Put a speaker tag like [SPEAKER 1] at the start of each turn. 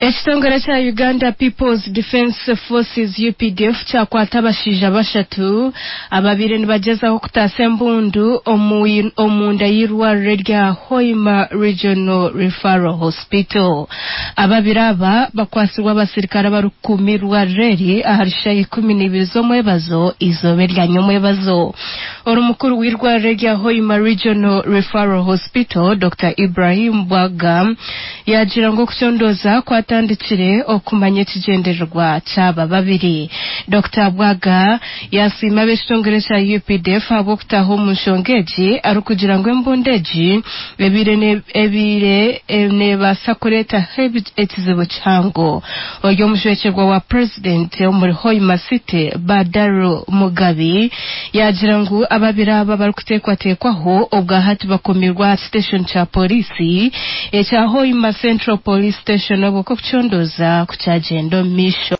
[SPEAKER 1] Ekitongore kya Uganda People's Defence Forces, UPDF, kyakwata abashaija bashatu ababaire nibagyezaho kutaasa embundu omunda y'eirwariro erya Hoima Regional Referral Hospital. Ababiri aba bakwatsirwe abasirikare abarikukuuma eirwariro eri ahari shaaha 12 z'omwebazo eizooba erya nyomwebazo. Ori mukuru w'eirwariro erya Hoima Regional Referral Hospital, Dokita Ibrahim Bwaga yaagira ngu okucondooza kwatandikire okumanya ekigyendererwa ky'aba babiri. Dokita Bwaga yaasiima ab'ekitongore kya UPDF ahabw'okutaaha omu nshonga egi arikugira ngu embundu egi ebaire ebaire neebaasa kureetaho ekizibu kihango. Ori omujwekyerwa wa Purezidenti omuri Hoima City, Badaru Mugabi yaagira ngu ababiri aba abarikuteekwateekwaho obwahati bakomirwe aha kiteshoni kya Pooriisi ekya Hoima Central Police Station obwo okucondooza kukyagyenda omu maisho.